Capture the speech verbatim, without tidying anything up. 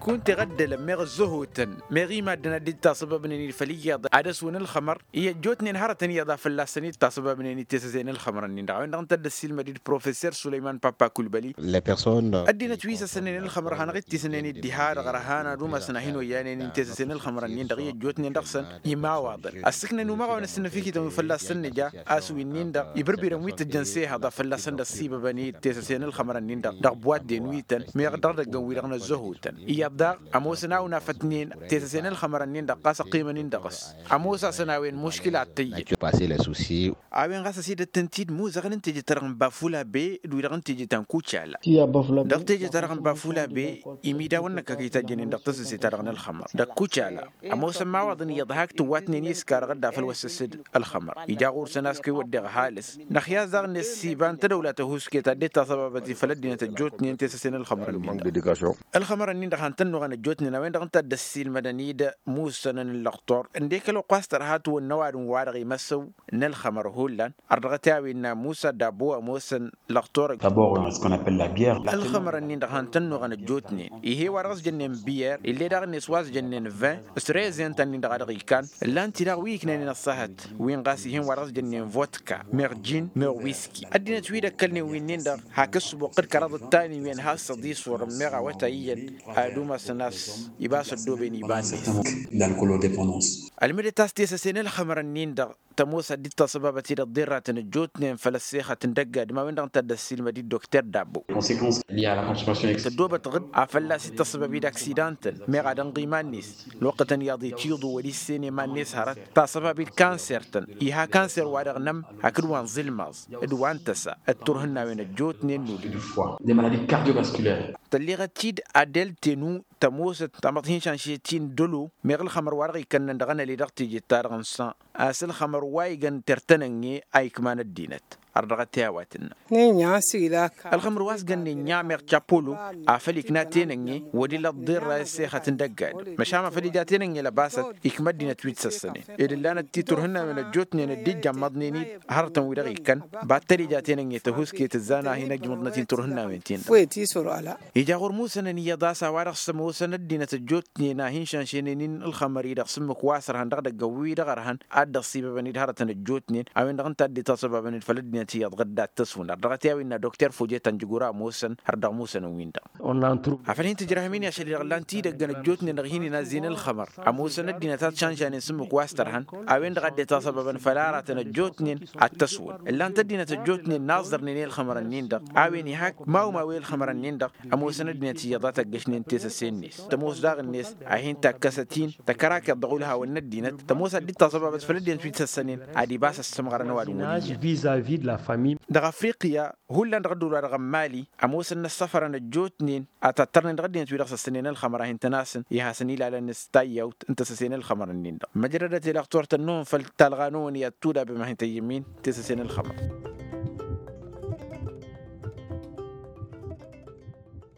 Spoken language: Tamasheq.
Kunta iɣăddălăn meɣ ăzzăhotăn meɣ i-maddǝn ad-dd-tasăbabnen-dd făll-iyyăḍ ad-ăswǝn ǝlxămăr i-ăjjootnen hărătăn iyyăḍ a fălla-săn dd-tasăbabnen-dd tesăse n-ǝlxămărăn-in-dăɣ a-wen-dăɣ ǝnta a dd-ăssiilmăd-dd professor sulăyman papa kulbăli. Ăddinăt wi s-ăssănen ǝlxămăr hanăɣ-ittisnen-dd diha-dăɣ ărhan ad-umasăn a hin-oyyanen-in tesăse n-ǝlxămărăn-in-dăɣ i-ăjjootnen dăɣ-săn imawaḍăn ăssǝknăn umăɣ a-wen ăssǝnnăfikităn wi fălla-săn nǝja a-s winnin-dăɣ ibǝrbirăn wi tǝjjăn s-ehăḍ a fălla-săn dd-ăssibăbăn-dd tesăse n-ǝlxămărăn-in-dăɣ dăɣ-buwadden wi tăn meɣ dăɣ-idăggăn wi-dăɣ n-ăzzăhotăn iyyăḍ daɣ ămoosăn a-wen afătnen tesăse n-ălxămărăn-in-dăɣ ɣas ăqqimăn-in dăɣ-s. Ămoos-asăn a-wen muškila ad-tăyy. A-wen ɣas ăsidăt-tăn-t-dd muzăɣăn n-teje-ta-dăɣ n-bafula be d-wi-dăɣ n-teje ta n-kucala. Dăɣ-teje-ta-dăɣ n-bafula be imidawăn-năk a kăy-tajjănen dăɣ-tăsǝse-ta-dăɣ n-ălxămăr dăɣ-kucala. Ămoosăn imawaḍăn iyyăḍ hak tǝwwatnen i-ǝskar ɣǝdda făll-wăssăs-dd ălxămăr ija ɣur-săn a-s kăy-wădden ăhalǝs. Năxya daɣ-net s-iba n-tadăwla tăhuusket ad-dd-tasăbabăt i-făll-ăddinăt ăjjootnen tesăse n-ălxămărăn-in-dăɣ. Ălxămărăn-in-dăɣ han tănnuɣăn ăjjootnen a-wen-dăɣ ǝnta a dd-ăssiilmădăn-dd musănăn n-lăqtor ǝndek ălwăqq wa s-tărha tǝwănna ăwadǝm-wa-dăɣ imăsăw n-ălxămăr hullan. Ărdăɣăt i-a-wen n-a musa dabbo ămoosăn lăqtor. Ălxămărăn-in-dăɣ han tănnuɣăn ăjjootnen ih'-e wa dăɣ-s jănnen biyer ill'-e daɣ-net wa s-jănnen vin s-rezen ta-nin-dăɣ a dăɣ-ikan. Ǝllan-t-i daɣ wi iknănen ăṣṣahăt wi n-ɣas ih'-en wa dăɣ-s jănnen vodka meɣ jin meɣ wiski. Ăddinăt wi d-ăkkălnen winnin-dăɣ hak ǝssǝboqqăd kăraḍăt tani wi ănhas s-ăḍiswărăn meɣ awătay iyyăn ad-umasăn a-s ibas ăddooben iba-net. Ălmǝdăt a-s tesăse n-ălxămărăn-in-dăɣ tămoos ad-dd-tasăbabăt-dd ăḍḍirratăn ăjjootnen făll-ăssexăt n-dăgg-adǝm a-wen-dăɣ ǝnta a dd-ăssiilmăd-dd dokter dabbo. Tăddoobăt ɣǝd a fălla-s dd-tăssăbab-dd aksidan-tăn meɣ ad-ănɣ iman-net. Ălwăqqătăn iyyăḍ itiḍu wăr-issen iman-net hărăt tasăbab-dd kanser-tăn iha kanser-wa-dăɣ n-ămm hakd wa n-iẓǝlmaẓ d-wa n-tăsa d-turhǝnnawen ăjjootnen n-ulǝy. Tălleɣăt-dd adeltenu tămoosăt tamăḍt hin-šanšet-in dălo meɣ ǝlxămăr wa dăɣ-ikănnăn dăɣ-anăli dăɣ-tejet-ta-dăɣ n-san a-s ǝlxămăr wa igan tertănănge a ikman ăddinăt. Ărdăɣăt i-a-wa tǝnnă. Ǝlxǝmǝr wa s-gănnen nya meɣ capolo afăl ikna tenănge wăr ila ăḍḍirra i-ăssexăt n-dăgg-adǝm măšan afăl ija tenănge lăbasăt ikmă ăddinăt wi t-săssănen. Ed ǝllanăt-t turhǝnnawen ăjjootnen dd-ijjămmăḍnen-dd hărătăn-wi-dăɣ ikăn. Battăl ija tenănge tăhusket ǝzzan a hin-ăjmăḍnăt-in turhǝnnawen-tin-dăɣ. Ija ɣur-musănăn iyyăḍ a-s a-wa-dăɣ s-ămoosăn ăddinăt ăjjootnen a hin-šanšenen-in ǝlxămări dăɣ-s ǝmmǝk wa s-ărhăn dăɣ-idăgg-wi-dăɣ ărhăn ad-dd-ăṣṣibăbăn-dd hărătăn ăjjootnen. A-wen-dăɣ ǝnta a dd-itaṣăbabăn-dd făll-ăddinăt iyyăḍ ɣǝdda ad-tăswǝn ărdăɣăt i-a-wen n-a dokter fojet ănjǝgura ămoosăn har dăɣ-musănăn-win-dăɣ. Afăl hin-tǝjrăhăm-in i-ašăl-i-dăɣ ǝllan-t-dd ăggăn ăjjootnen dăɣ-hin-inazzin ǝlxămăr ămoosăn ăddinăt ad-šanšanen s-ǝmmǝk wa s-tărhăn. A-wen-dăɣ a dd-itaṣăbabăn făll-aratăn ăjjootnen ad-tăswǝn ǝllan-t ăddinăt ăjjootnen n-aẓẓărnen i-ǝlxămărăn-in-dăɣ. A-wen ihak mawmaw i-ǝlxămărăn-in-dăɣ ămoosăn ăddinăt iyyăḍ a tăggăšnen tesăse-net tămoos daɣ-net a hin-takkăsăt-in tăkărakeḍ dăɣ-ulhawăn n-ăddinăt tămoos ad-dd-taẓăbabăt făll-ăddinăt wi t-săssănen. Ad-ibas ăssămɣărăn ăwadǝm wăr-ija. Dăɣ-afriqya hullan dăɣ-ădduul-wa-dăɣ n-mali ămoosăn n-ăssăfărăn ăjjootnen a tattărnen dăɣ-ăddinăt wi-dăɣ săssănen ălxămăr a hin-tăn-asǝn i-hasăn-ilalăn s-tayyawt n-tesăse n-ălxămărăn-in-dăɣ. Măjrădăt i-dăɣ turtăn-năwăn făll-talɣa-năwăn i-ad-tudabem a hin-tăyyăm-in tesăse n-ălxămăr.